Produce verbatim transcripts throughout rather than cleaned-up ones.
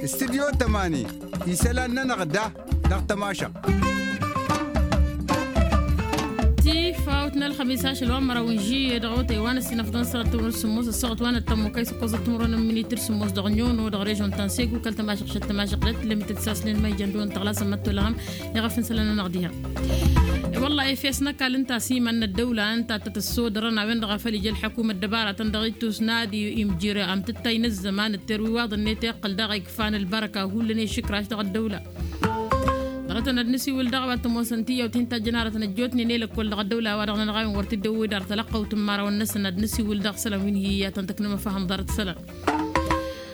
Studyo tămani isălan-nănăɣ da dăɣ-tămašăɣt. Tifawt n-ălxămis ašăl wa n-măraw n-žiyye dăɣ-awătay wa n-ăssinăfḍăn săɣăt timǝrwen s-sǝmmos ăssaɣăt wa n-ăttămmukăy s-ăkkoẓăt timǝrwen n-minitǝr s-sǝmmos dăɣ-nyono dăɣ-režon ta n-segu kăl-tămašăɣt šăt tămašăɣt d-ătlămităt s-asnen ma ijăn dăɣ-wăn tăɣlasăn măttolăɣăm. Iɣăf n-isălan-nănăɣ diha. I-wălla efes n-ăkall ǝnta a-s iman n-ăddăwla ǝnta a tăt-ăssodărăn a-wen-dăɣ a făl ija ălḥăkum ăddăbaratăn dăɣ-ittus n-ad-imjir amtǝttay n-ăzzăman d-terwiwaḍ-net iqqăl daɣ ikfan ălbărăka hullan i-išǝkraš dăɣ-ăddăwla. Dăɣ-tăn ad-nǝsiwǝl daɣ a-wa t-ămoosăn tiyyawt hin-tajjăn aratăn ăjjootnen i-lăkkol dăɣ-ăddăwla a-wa dăɣ-nănăɣ a-wen wăr t-dd-ewwed ar tălăqqăwt n-imărawăn-năsăn ad-nǝsiwǝl dăɣ-isălan wi n-hi iyyătăn tăknăm ăfahăm ḍarăt isălan.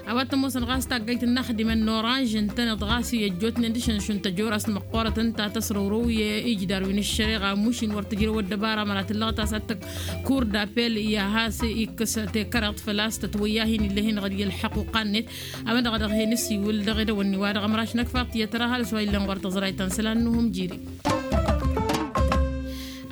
A-wa t-ămoosăn ɣas taggayt n-inaxdimăn n-oranž ǝntăneḍ ɣas i-ăjjootnen dăɣ-išăn šund tăjorast măqqoorăt ǝnta tăsrăwrăw i-ijdar wi n-ăššăreɣa mušin wăr tǝjrăw ăddăbara măra tǝllăɣăt a-s ad-tăkk kur d-apel i-ad-has ikkăs tekăreḍt făl-a-s tătwăyya hin-illa hin-ɣăr i-ălḥăquqa-net. A-wen-dăɣ a dăɣ-hin-ǝsiwǝl dăɣ-edăwănni wa dăɣ-ămraš n-ăkfaḍ tiyyăt tăra ăhalǝs wa illan ɣur-tăẓrayt ta n-isălan n-uhǝm jiri.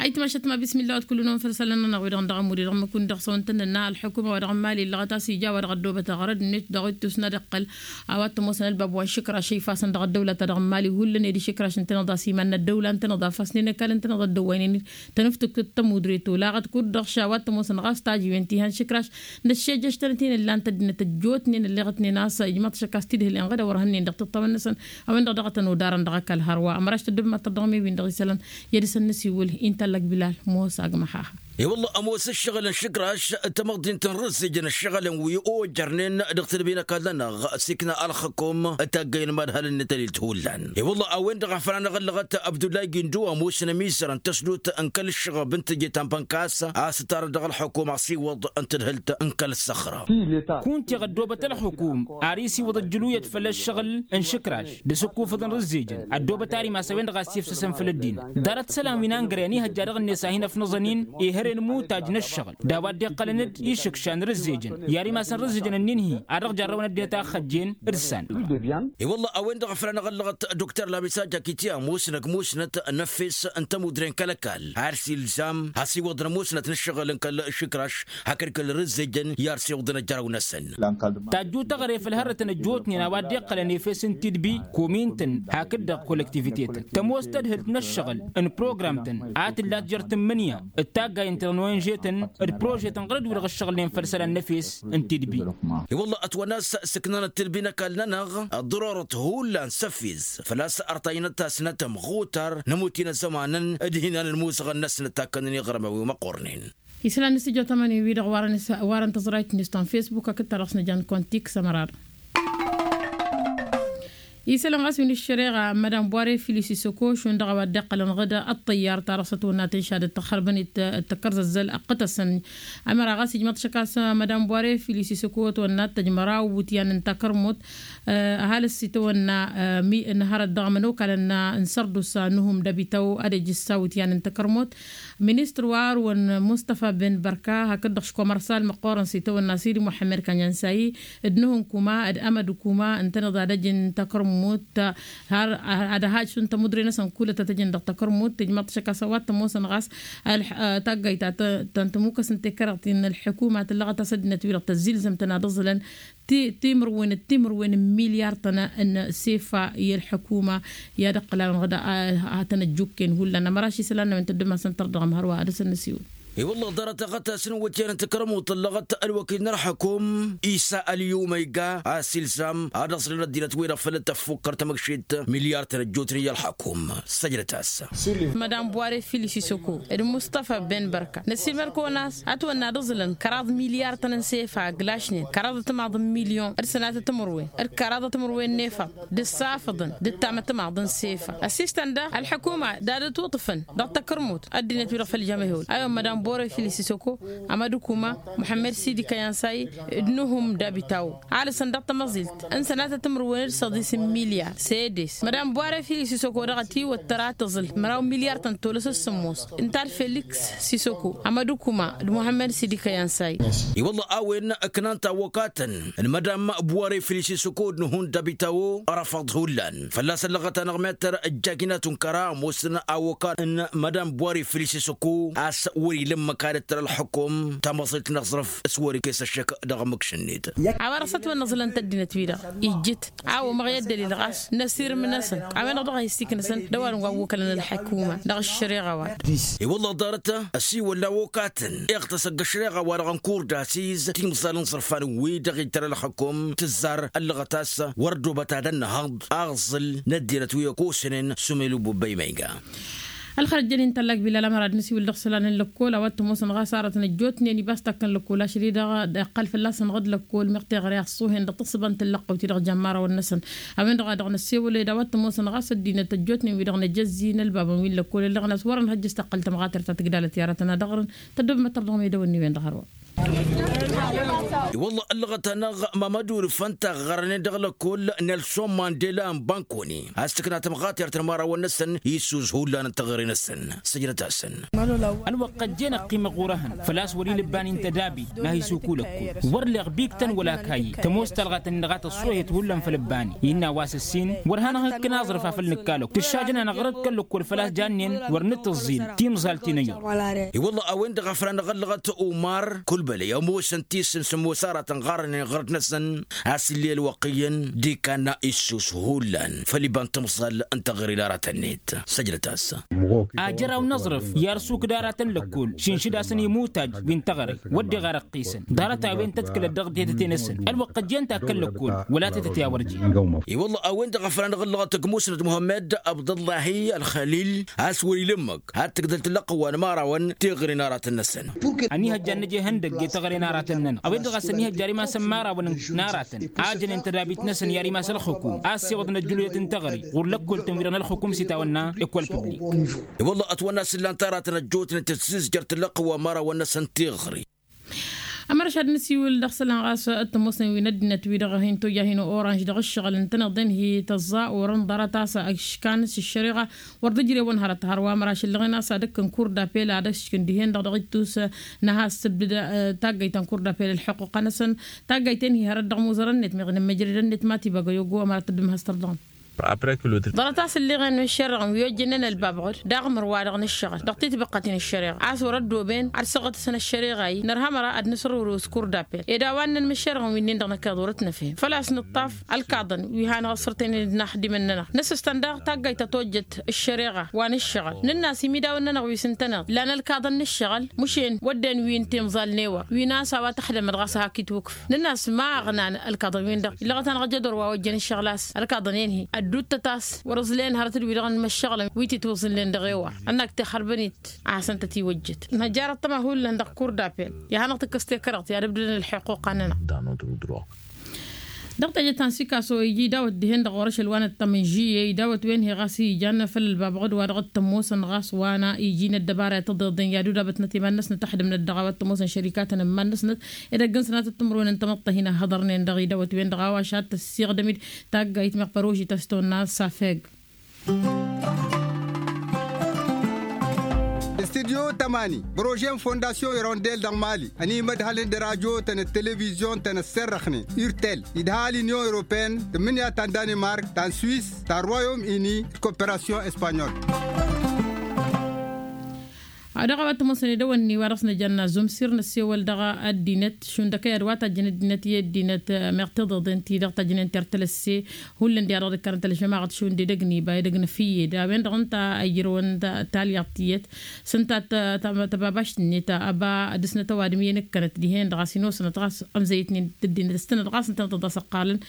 Ayǝtmašăt ma bismilla wa t-kull-năwăn făll-isălan-nănăɣ wi-dăɣ n-dăɣ-ămud i-dăɣ n-măkun dăɣ-săwăn tăn-nănna ălḥukuma wa dăɣ-n mali illăɣăt a-s ija wa dăɣ-ăddoobăt aɣrăd-net dăɣ-ittus n-ad-iqqăl a-wa t-ămoosăn ălbab wa n-išǝkraš a ifasăn dăɣ-ăddăwla ta dăɣ-n mali hullan ed išǝkraš ǝntăneḍ a-s iman n-ăddăwla ǝntăneḍ a fasnen ăkall ǝntăneḍ ăddăwwaynen-dd tănǝftǝkt d-tămudre tolaɣăt kud-dăɣ š-a-wa t-ămoosăn ɣas tajǝwen ti han-išǝkraš n-ăššejăš-tăn-ătinăllan tăddinăt ăjjootnen ălleɣătnen a-s ijmăḍ šăkkas tidhǝlen ɣǝd a wăr hănnen dăɣ-tiṭṭawăn-năsăn a-wen-dăɣ daɣ a tăn-odarăn dăɣ-ăkall hărwa ămraš tăddǝbmat tăḍḍăɣ-mi-win-dăɣ isălan i-ad-dăr-săn nǝsiwǝl. Intallăk bilal mosa agmăhaha. I-wălla ămoos ǝššăɣǝl n-išǝkraš tamăḍint n-rǝzzǝjăn ǝššăɣǝlăn wi ojărnen dăɣ-tedbinăk ad-lănăɣ s-ikna ălxăkum taggăyăn madhălăn n-tălilt hullan. I-wălla a-wen-dăɣ a făl anăɣ-ăllăɣăt abdullay gindu ămoosăn ămizăr n-tăsdut n-kăl-ǝššăɣăb n-teje ta n-bănkas a-s ǝttarăt dăɣ-ălxăkum asiwăḍ n-tadhǝlt n-kăl-săxră. Kunta iɣ ăddoobăt ălxukum ar isiwǝḍ ăjjǝluyăt făll-ăššăɣǝl n-išǝkraš d-asǝkkufăḍ n-rǝzzejăn ăddoobăt ar imas a-wen-dăɣ a s-ifsăsăn făll-ăddinăt ḍarăt isălan wi n-angrăyăn ihăjja dăɣ-net a hin-ăfnăẓăn-in ihăre n-imutaj n-ăššăɣǝl d-a-wa dd-iqqălăn d-išǝkša n-rǝzzejăn i-ar imas n-rǝzzejăn ǝnnin-hi a dăɣ-jarrăwăn ăddinăt a ăxxăjjen d-săn. I-wălla a-wen-dăɣ a făl anăɣ-ăllăɣăt dokter lamisa jakiti ămoosnăk musnăt n-efes n-tămudre n-kăl-ăkall ar s-ilzam asiwăḍ n-ămoosnăt n-ǝššăɣǝl n-kăl-išǝkraš hakd kăl-rǝzzejăn i-ar s-iwǝḍăn ăjjăraw-năsăn. Tajju taɣre făll-hărrătăn ăjjootnen a-wa dd-iqqălăn efes n-tidbi komintăn hakd-dăɣ kolektivitetăn tămoos tadhǝlt n-ǝššăɣǝl n-programtăn a tǝllat jer-tǝmmǝnǝya d-taggay n-tănănwen žetăn d-prožetăn ɣur-dd wi-dăɣ ǝššăɣǝlnen făll-isălan n-efes n-tidbi. I-wălla ătwănna a-s sǝknanăt tidbi n-ăkall-nănăɣ ăḍrorăt hullan s-ăfiz făl-a-s ărtajnăt tasnăt ămɣutar n-ămuti n-ăzzămanăn d-hinan n-imuzăɣăn-năsnăt takkănen iɣrǝmăn wi măqqornen. Isălan n-studyo tămani-wi-dăɣ warăn tăẓrayt-net ta n-fesbuk hakd ta dăɣ-s nǝjan kontik s-ămăra-dăɣ. Isălan ɣas wi n-ǝššăreɣa madam buware filis isăko šund dăɣ-a-wa dd-iqqălăn ɣǝd ăṭṭăyyar ta dăɣ-s ătwănna tǝnšad d-tăxxărbăn d-tăkkărzăzzăl ăqqǝtăsăn. Ămăra ɣas ijmăḍ šăkkas madam buware filis isăko ătwănna tăjmăraw iwǝtyan n-takărmut ăhalǝs itwănna n-hărăt dăɣ-mănokalăn n-sărdusa n-uhǝm d-abităw ad-ejǝssa iwǝtyan n-takărmut. Ministăr wa ărwăn mustafa ben bărka hakd-dăɣ škomărsal măqqoorăn s-itawănna sidi muḥămmăd kanyansayi d-nuhǝnkuma d-amădukuma ǝntăneḍ ad-ăjǝn takărmut har ad-ăhaj šund tămudre-năsăn kulăt ad-t-ăjǝn dăɣ-takărmut tǝjmăḍ šăkkas a-wa t-ămoosăn ɣas taggayt ta n-tămukăs n-tekăreḍt-in n-ălḥukuma tǝllăɣăt a-s ăddinăt-wi-dăɣ tăzzilzăm-tăn ad-ǝẓǝlăn timǝrwen d-timǝrwen n-milyar-tăn n-sefa i-ălḥukuma i-ad-ǝqqǝlalăn ɣǝd ad-tăn-ăjjukken hullan ămăraš isălan n-a-wen tăddǝm-asăn tărdăɣăm hărwa ad-dăr-săn nǝsiwǝl. I-wălla ḍarăt aɣătas n-iwǝtyan n-takărmut tǝllăɣăt ălwăkil n-ălḥăkum isa ălyum ăyga a-s ilzam ad-ăẓrǝn ăddinăt-wi-dăɣ făll-tăffukkăr tamăkšit milyar-tăn ăjjootnen i-ălḥăkum. Săjdăt-as. Madam buware filis isoko d-mustafa ben bărka năsiilmăd-kăwăn a-s ătwănna ad-ǝẓǝlăn kăraḍ milyar-tăn n-sefa ǝglašnen kăraḍ ătmaḍ n-milyon d-sănatăt timǝrwen d-kăraḍ timǝrwen n-efăḍ d-ǝssafǝḍăn d-ǝttamătmaḍ n-sefa ăssistăn daɣ ălḥukuma d-ad-ǝtwǝṭṭǝfăn dăɣ-takărmut ăddinăt-wi-dăɣ făll-jămăhewăl a-wen madam buware filis isoko amădukuma muḥămmăd sidi kăyansayi d-nuhum d-abitawo alăsăn dăɣ-tamăẓilt n-sănatăt timǝrwen d-săḍis n-milyar sedes madam buware filis isoko dăɣ-ătiwăt tăra tǝẓǝl măraw milyar tăn-tolăs s-sǝmmos ǝnta d-feliks sisoko amădukuma d-muḥămmăd sidi kăyansay. I-wălla a-wen ǝknan tawwăkatăn n-madam buware filis isoko d-nuhum d-abitawo ărăfăḍ hullan fălla-s ăllăɣăt-anăɣ mettăr ăjjajnat unkăra ămoosăn awăkan n-madam buware filis isoko a-s wăr-ila Ǝmmǝk ad-ǝttăr ălxǝkum tamăẓilt n-aẓrǝf s-wăr-ikes ăššăk dăɣ-mǝkš-net. A-wa dăɣ-s ătwănnăẓǝlăn tăddinăt-wi-dăɣ ijjǝt a-wa umăɣ i-ăddălil ɣas n-asirǝm-năsăn a-wen-dăɣ dăɣ-a hi-s iknǝsăn d-ăwadǝm wa ăwwăkălăn ălḥăkuma dăɣ-ăššăreɣa-wa-dăɣ. I-wălla ḍarăt ăsiwăl n-awokatăn iɣtăs ăgg-ăššăreɣa-wa-dăɣ n-kurdasiz timẓal n-iẓrǝfan wi-dăɣ ittăr ălxǝkum tǝzzar ăllăɣăt a-s wăr ăddoobăt ad-ănnăhăḍ aẓǝl n-ăddinăt wi ăkosnen s-umelu bubba imăyga. Ălxărăt jănen tallak bilal ămăra d-nǝsiwǝl dăɣ-isălan n-lăkkol a-wa t-ămoosăn ɣas arătăn ăjjootnen ibas takkăn lăkkol ašăl-i-dăɣ iqqăl fălla-săn ɣǝd lăkkol meɣ teɣăre a ăṣṣuhen dăɣ-tǝssǝba n-tǝllăqqăwt-i-dăɣ jăn imărawăn-năsăn. A-wen-dăɣ a dăɣ-năssewăled a-wa t-ămoosăn ɣas ăddinăt ăjjootnen wi-dăɣ n-ajăzzi n-ălbabăn wi n-lăkkol ǝllăɣăn a-s wărăn hăjjăs taqqăl tămɣatert ta tǝgdalăt i-aratăn ad-ăɣrǝn. Tăddobăm ad-tărdăɣăm i-dăwănni-wen-dăɣ hărwa. I-wălla ăllăɣăt-anăɣ mamădu rǝfăn taɣărnen dăɣ-lăkkol nelson mandela n-bankoni a-s tǝkna tămɣatert n-imărawăn-năsăn issus hullan n-teɣăre-năsăn. Săjdăt-asăn. Ălwăqq ăjjeen ăqqimăɣ ɣur-ehăn făl-a-s wăr-ila ǝbban-in tădabit n-ad-hi-sukul ăkko wăr leɣ biktăn wăla kayy tămoos talɣat-ǝnnin dăɣ-a tăṣṣuhet hullan făll-ǝbban-i innă a-wa s-ǝssin wăr hanăɣ-ikkăn aẓrǝf afăl nǝkka lăkko tǝššajăn-anăɣ rădd kăl-lăkkol făl-a-s jannen wăr nǝtǝẓẓil timẓal ti n-ăyyor. I-wălla a-wen-dăɣ a făl a năɣ-ăllăɣăt umar kulbălăy ămoosăn tisǝn s-ămoos aratăn ɣarănen ɣărăt-năsăn a-s ill'-e ălwăqq iyyăn d-ikanna issus hullan făll-iba n-timẓal n-teɣăre n-aratăn-net. Săjdăt-as. Ajăraw n-aẓrǝf i-arsuk d-aratăn lăkkol šǝnšǝd-asăn imutaj wi n-teɣăre wădden ɣarăt ăqqisăn ḍarăt-a-wen tăḍkǝlăt dăɣ-tetăte-năsăn ălwăqq ăjjeen takkăn lăkkol wăla tetăte a wăr jen. I-wălla a-wen-dăɣ a făl a năɣ-ăllăɣăt ăgg-musnăt muhămmăd abdăllahi ălxălil a-s wăr-ila ǝmmǝk ad-tǝgdăl tǝllăqqǝw wa n-imărawăn teɣăre n-aratăn-năsăn. Ăniihăjja ad-nǝj ihăndăgg i-teɣăre n-aratăn-nănăɣ a-wen-dăɣ a-s ăniihăjja ar imass n-imărawăn n-aratăn a ăjănen tădabit-năsăn i-ar imass ălxǝkum a ăssiwăḍăn ăjjǝluyăt n-teɣăre ɣur-lăkkol-tăn-wi-dăɣ n-ălxǝkum s-itawănna. Ekol piblik. I-wălla ătwănna s-ǝllan t-aratăn ăjjootnen tǝzzǝzjăr tǝllăqqǝw wa n-imărawăn-năsăn teɣăre. Ămărăš ad-nǝsiwǝl dăɣ-isălan ɣas t-ămoosnen wi n-ăddinăt-wi-dăɣ hin-tojja hin-oranž dăɣ-ǝššăɣǝl ǝntăneḍ-en hi-tăẓẓa orăn ḍarăt a-s ăškan s-ăššăreɣa wăr dd-ǝjrewăn hărăt hărwa ămăraš ǝllăɣen a-s ad-ǝkkǝn kur d-apel ad-ăškǝn dihen-dăɣ dăɣ-ittus. Năha s-tǝbdǝd taggayt ta n-kur d-apel ălḥuqquq-năsăn taggayt-en hi-hărăt dăɣ-imuzărăn-net meɣ inǝmmăjrădăn-net ma tibăgăy ogo ămăra tăddǝm has-tărḍăɣăm. Ḍarăt a-s ǝlleɣen n-ăššărreɣăn wi ojjănen ălbabɣăd d-aɣmǝr wa-dăɣ n-ǝššăɣǝl dăɣ-titbăqqăt-in ăššăreɣa a-s wăr ăddooben ad-săɣătăsăn ăššăreɣa-i nărha ămăra ad-nǝsrǝwrǝw s-kur d-apel ed a-wa ǝnnăn imǝššărreɣăn wi-nin-dăɣ năkkeḍ wăr-ătnăfhem făl-a-s nǝṭṭaf ălkaḍăn wi hanăɣ-ăssărtăynen d-inaxdimăn-nănăɣ nǝsǝstăn daɣ taggayt ta tojjăt ăššăreɣa wa n-ǝššăɣǝl nǝnn'-as imidawăn-nănăɣ wi s-ǝntăneḍ lan ălkaḍăn n-ǝššăɣǝl mǝšen wădden wi n-timẓal n-ewăr wi n-a-s a-wa tăxdămăd ɣas hak itwǝkf nǝnn'-as ma ăɣnan ălkaḍăn-win-dăɣ illăɣăt-anăɣ jădor wa ojjăn ǝššăɣǝl a-s ălkaḍăn-en-hi ădduuttăt a-s wăr-ǝẓlăyăn hărăt d-wi-dăɣ n-imăššăɣǝlăn wi titwǝẓǝlnen dăɣ-ewăr ănnak tixărbăn-it a hasăn-tăt-iwăjjăt năjjar ăṭṭăma hullan dăɣ-kur d-apel i-ad-hanăɣ-tǝkkǝs tekărăɣt i-ad-ǝbdǝdăn ălḥuqquq-anănăɣ. Dăɣ-teje ta n-sikaso iji dawăt dihen-dăɣ ɣur-ašăl wa n-ăṭṭămăn žiyyăy dawăt-wen hi-ɣas ijan făll-ălbabăɣ d-wa-dăɣ t-ămoosăn ɣas wa n-iji n-ăddăbara i-tăḍeḍen i-ad-udabătnăt iman-năsnăt ăḥdǝmnăt dăɣ-a-wa t-ămoosăn šărikatăn n-iman-năsnăt ed ăgg-năsnăt t-ǝmrǝwăn n-tamăḍt ta hin-ăhhăḍărnen dăɣ-i dawăt-wen-dăɣ a-wa šad tăssiɣdăm-dd taggayt meɣ păroži ta s-tonna safeg. Studyo tămani bărože n-fondasyon irondel dăɣ-mali ănimădhălăn d-radyo-tăn d-televizyon-tăn ăsserrăxnen urtel idha l-inyon europeyăn tǝmmǝnǝya ta n-danimark ta n-swis ta n-royom ini d-koperasyon espanyol. Dăɣ-a-wa t-ămoosăn edăwănni wa dăɣ-s nǝjanna zumsir n-ăssewăl dăɣ-ăddinăt šund ăkăyad wa tajjăn ăddinăt i-ăddinăt meɣ tiḍeḍen-ti-dăɣ tajjănen tertăl ăsse hullan di-a-dăɣ dd-ǝkkanăn tălăžămaɣăt šund edăgg n-iba edăgg n-efǝyyed a-wen-dăɣ ǝnta a ijrăwăn talyaḍt tiyyăt s-ǝnta tababašt-net ăba dăr-snăt ăwadǝm i-inǝkkănăt dihen-dăɣ a-s inosănăt ɣas ămzăyătnen d-ăddinăt s-tănăt ɣas ǝntănăt dd-asăqqalăn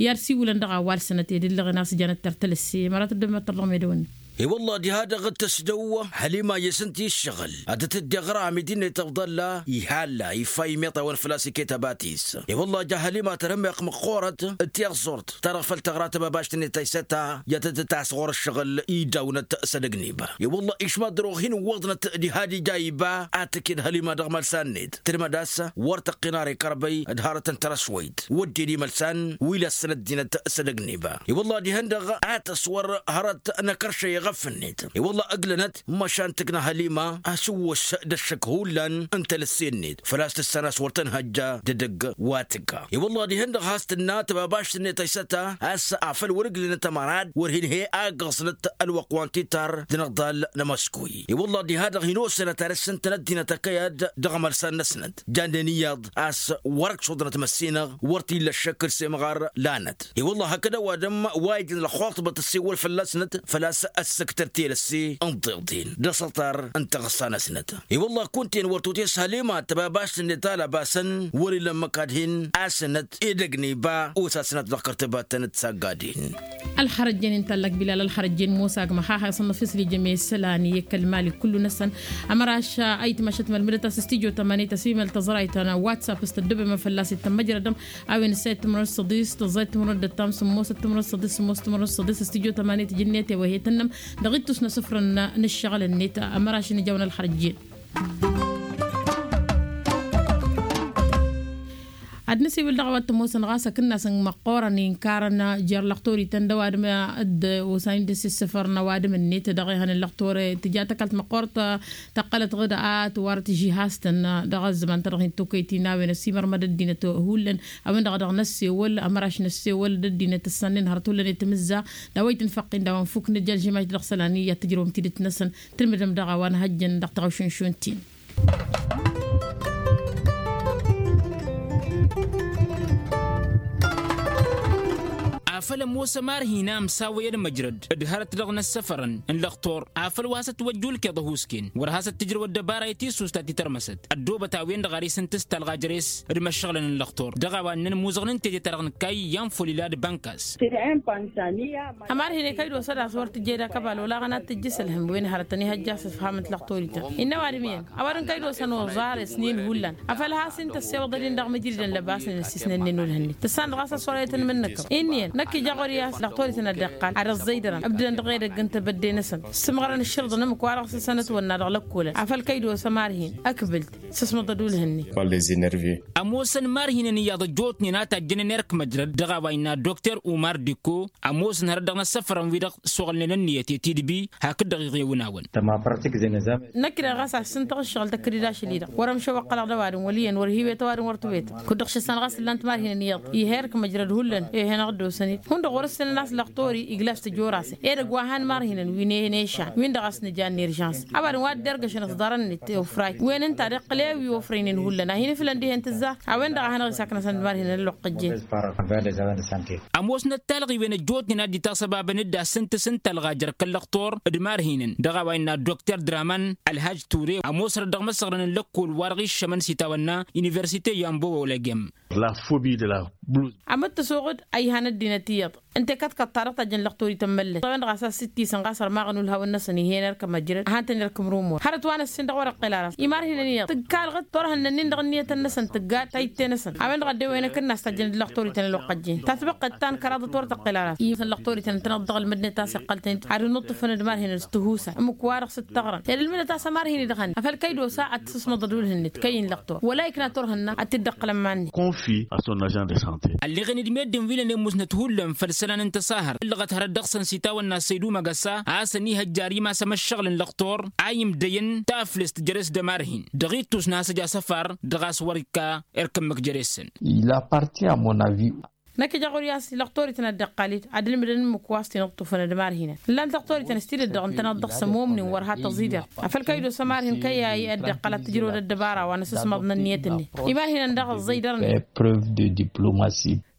i-ad-siwǝlăn dăɣ-a-wa ălsănăt ed ǝllăɣen a-s ǝjanăt tertăl ăsse măra tăddăbăm ad-tărdăɣăm edăwănni. I-wălla diha-dăɣ d-tăsdăw hălima i-asǝnti ǝššăɣǝl ad-dd-tǝddeɣ ramid-net ăfḍălla ihalla ifa imeṭ a-wen făl-a-s iket abat-is. I-wălla ja hălima tărhǝmeɣ măqqoorăt d-tiẓẓurt ta dăɣ-făl tăɣra tăbabašt-net ta isăta i-ad-tăt-tăt-as ɣur-ǝššăɣǝl idawnăt s-edăgg n-iba. I-wălla išmaḍ dăr-ohin ǝwwăḍnăt diha d-ija iba ad-tǝked hălima dăɣ-imălsan-net tǝdmăd a-s wăr tăqqin ara ikărbăy d-hărăt n-tărăswăyt wădden imălsan wi lăssăn ăddinăt s-edăgg n-iba. I-wălla dihen-dăɣ a tăswăr hărăt n-akăršăy. ăqqăf-net. I-wălla ǝglănăt măšan tǝkna hălima asǝwwăs d-ăššăk hullan n-telăsse-net făl-a-s tǝssan a-s wăr tăn-hăjja d-edăgg wa tǝgga. I-wălla dihen-dăɣ has-tǝnna tăbabašt-net a isăta a-s afăl wăr-ǝglănăt ămărad wăr hin-he-agg ăẓnăt ălwăqq wa n-titar d-inăḍḍal n-amăskuy. I-wălla diha-dăɣ hin-osănăt ad-ăssintăn ăddinăt ăkăyad dăɣ-amălsan-năsnăt jannen iyyăḍ a-s wăr-ăksuḍnăt măssinăɣ wăr t-illa ăššăk d-semɣar lanăt. I-wălla hakd ăwadǝm wa ijăn ălxuṭbăt ăssewăl fălla-snăt făl-a-s ăssǝktăr telăsse n-tiḍen d-asăṭar n-taɣǝssa-năsnăt. I-wălla kunta-en wăr tut-e-s hălima tăbabašt-net a lăbasăn wăr-ila ǝmmǝk ad-hin-asǝnăt edăgg n-iba osasnăt dăɣ-kărtăbatăn d-saggaden. Ălxărăjjen intallăk bilal ălxărăjjen mosa agmăx a hasăn-năfisli jăme isălan i-kăl-mali kullu-năsăn. Ămăraš a itmăšăt mălmǝdăt a-s s-tijot ămanit ăsimăl tăẓrayt n-whatsapp s-tăddobemăn fălla-s ittăn măjrădăm. A-wen ǝssa ittǝmrăd s-săḍis tăẓẓayt tǝmrăd d-ăttam sǝmmos ittǝmrăd s-săḍis sǝmmos tǝmrăd s-săḍis s-tijot ămanit jǝnniyăt ewăhe-tăn-năm. Dăɣ-ittus n-asǝfrăn n-ǝššăɣǝl-net ămăraš n-ijawăn ălxărăjjen. Ad-nǝsiwǝl dăɣ-a-wa t-ămoosăn ɣas akǝnnas n-măqqoorăn inkarăn jer-lăxtorităn d-ăwadǝm d-osan-in dăr-s issǝfărăn ăwadǝm-net dăɣ-ehăn n-lăxtor. Tǝja tăkalt măqqoorăt tăqqălăt ɣǝd a tǝwarăt žihastăn dăɣ-ăzzăman-ta-dăɣ hin-tokăyt-in a-wen ăsimărmăd ăddinăt hullan. A-wen-dăɣ a dăɣ-năssewăl ămăraš năssewăl d-ăddinăt ǝssannen hărăt hullan i-tamǝzza d-a-wa itǝnfăqqin d-a-wa ănfuk nǝja ălžămaš dăɣ-isălan iyyăt tǝjrăwăm tidǝt-năsăn. Tǝlmǝdăm daɣ a-wa nǝhăjjăn dăɣ-taɣušunšun-t-in. Afăl ămoos ămarhin a ămsawăy ălmăjrăd d-hărăt dăɣ-inǝssăfărăn n-lăxtur afăl wa has-ătwăjja ulkeḍ ăhuusken wăr has-ăttǝjrăw ăddăbara i-tisusta ti tărmăsăt ăddoobăt a-wen-dăɣ ar isǝntǝs talɣa jere-s d-imăššăɣǝlăn n-lăxtur dăɣ-a-wa ǝnnăn imuzăɣnen teje-ta-dăɣ n-kayy i-anfulila d-bankas. Ămarhin i-kăy-dd-osa d-a-s wăr tǝjjed akăbal olaɣăn ad-tǝjjǝs ălhǝm wen hărătăn ihăjja a-s ǝfhamăn-t lăxtorităn. Innă ăwadǝm iyyăn ăwadǝm kăy-dd-osăn oẓar isnin hullan afăl has-in-tăssewăḍ ad-in-dăɣ mǝjridăn lăbasnen ăssisnănnen ulhǝnnet tǝssan dăɣ-a-s ăṣṣorăyăt n-imǝnnǝkăḍ. Inn'-iyyăn năkk ija ɣur-i a-s lăxtorităn a dd-iqqal ad-ăẓẓăydărăn ǝbdǝdăn dăɣ-edăgg n-tebădde-năsăn. Sǝmɣărăn ǝššǝrḍăn ǝmmǝk-wa-dăɣ s-asănăt wănna dăɣ-lăkkolăn afăl kăy-dd-osa ămarhin ăkbǝl-t. Sǝsmăḍăd ulhǝnne. Ămoosăn imarhinăn iyyăḍ ăjjootnen a tajjănen erk măjrăd dăɣ-a-wa innă dokter umar dikko. Ămoosăn hărăt dăɣ-inăssăfărăn-wi-dăɣ s-oɣǝlnen ănniyăt i-tidbi hakd-dăɣ iɣewǝn-awăn. Năkk-dăɣ ɣas a-s s-ǝntăɣ ǝššăɣǝl tăkk-dd ašăl-i-dăɣ wăr-ămšăwăqqălăɣ d-ăwadǝm wăl' iyyăn wăr hiwet ăwadǝm wăr tǝwet. Kud-dăɣ šăssan ɣas ǝllan timarhinăn iyyăḍ ih' erk măjrăd hullan. Ih' henăɣ-dd-osăn-dd hundăɣ wăr-ǝssǝnăn a-s lăxtor-i iglas tǝjor-asăn edăgg wa han imarhinăn wi n-ešan-win-dăɣ a-s nǝja n-eržans. Ăwadǝm wa dd-ergăšăn ăẓḍarăn-net ofrayt wen ǝnta d-iqqǝl i-wi ofrăynen hullan a hin-iflăn dihen tǝzzar. A-wen-dăɣ a hanăɣ-isaknăsăn d-imarhinăn ălluqqăjjen. Ămoosnăt talɣiwen ăjjootnen a dd-itasăbabăn d-asǝntǝs n-talɣa jer-kăl lăxtor d-imarhinăn dăɣ-a-wa innă dokter draman ălhaj ture ămoosărăt dăɣ-imăsăɣrăn n-lăkkol wa-dăɣ iššămăn s-itawănna universite i-ambo olăgem. Amǝttǝsuɣ-dd a ihan ăddinăt iyyăḍ ǝnta i-kăḍkăḍt-ta-dăɣ tajjăn lăxtorităn măllăt a-wen-dăɣ a-s a-s ǝttisăn ɣas ărmaɣăn ulhawăn-năsăn ih'-en erk măjrăd a han-tăn-irkǝm rumor hărăt wa n-ăssin dăɣ-wăr-ăqqel ara imarhinăn iyyăḍ tǝggalɣăt turhǝnna-nin dăɣ-ǝnniyătăn-năsăn tǝgga tayǝtte-năsăn. A-wen-dăɣ a dd-ewăyăn akǝnnas tajjăn d-lăxtorităn ălwăqqăjjen tatbăqqet ta n-kăraḍăt wăr tăqqel ara. Iyyătăn lăxtorităn ǝntăneḍ dăɣ-ălmădnet a-s iqqăl-tăn-dd ad-ănuṭṭǝfăn d-imarhinăn s-tihusay ǝmmǝk-wa-dăɣ s-ǝttăɣrăn ed ălmǝdnăt a-s ămarhin-i dăɣ-hănna afăl kăy-dd-osa ad-t-sǝsmăḍăd ulhǝnnet kăyy n-lăxtor wăla ikna turhǝnna ad-t-dd-ăqqǝlăn iman-net. Ălleɣen-dd meddǝn wi lănen musnăt hullan făll-isălan n-tăsahărt ǝllăɣăt hărăt dăɣ-săn s-itawănna săydu măgăsa a-s ănihăjja ar imass amăššăɣǝl n-lăxtor a imdăyăn taflest jere-s d-ămarhin dăɣ-ittus n-hasăj asăfar dăɣ-a-s wăr-ikka erk ǝmmǝk jere-săn. Năkk ija ɣur-i a-s lăxtorităn a dd-iqqal-dd ad-ǝlmǝdăn ǝmmǝk wa s-tinǝṭṭufăn d-imarhinăn ǝllan-t lăxtorităn s-tidǝt dăɣ-ǝntăneḍ dăɣ-săn momnin wăr ha tăẓidăr. Afăl kăy-dd-osa ămarhin kăy-a-i a dd-iqqăl ad-tǝjrăwăd ăddăbara wa n-asǝsmaḍ n-ǝnniyăt-net imarhinăn daɣ ăẓẓăydărnen.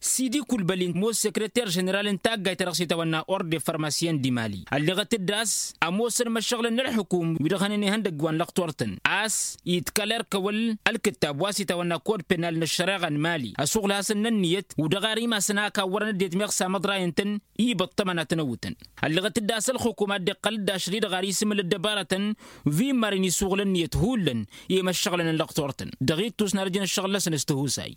Sidi kulbăli ămoos sekreter ženeral n-taggayt-ta-dăɣ s-itawănna orde farmasyen di mali ălleɣăt-dd a-s ămoosăn imăššăɣǝlăn n-ălxukum wi-dăɣ hănen ihăndăgg wa n-lăxtor-tăn a-s itkal erk ăwăl ălkǝttab wa s-itawănna kod penal n-ăššăreɣa n-mali ăsuɣǝl-hasăn n-ǝnniyăt u-dăɣ ar imasăn a ăkawwărăn ăddinăt meɣ samăḍrayăn-tăn. Ibăṭṭămăn ad-tăn-ăwwǝtăn ălleɣăt-dd a-s ălxukum a dd-iqqăl-dd ašăl-i-dăɣ ar isǝmǝl ăddăbarătăn wi n-imarăn isuɣǝl ǝnniyăt hullan i-imăššăɣǝlăn n-lăxtor-tăn dăɣ-ittus n-ad-ăjăn ăššăɣǝl-năsăn s-tihusay.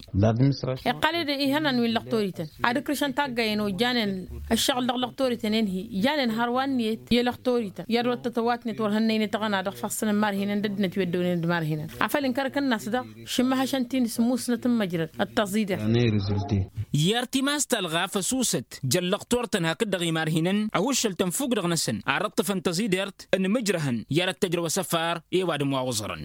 Iqqăl-dd ihănan wi Lăqtorităn ad-ǝkrǝšăn taggayen wa ǝjjanen ǝššăɣǝl dăɣ-lăqtorităn-en-hi ǝjjanen hărwa ǝnniyăt i-lăqtorităn i-ad-wăr tătăwatnet wăr hănnăynăt aɣăna dăɣ-ifassăn n-imarhinăn d-ăddinăt wi ăddoonen d-imarhinăn afăl ǝnkărăkăn-as-dăɣ šǝmmăhăšăn ti n-sǝmmusnăt n-măjrăd d-tăẓidert. Iyyăr timas talɣa făsusăt jăllăɣ turtăn hakd-dăɣ imarhinăn ăhuššăl tănfuk dăɣ-năsăn ar ǝṭṭǝfăn tăẓidert n-imǝjrăhăn i-ad-ăttăjrăw asăfar i-ăwadǝm wa oẓărăn.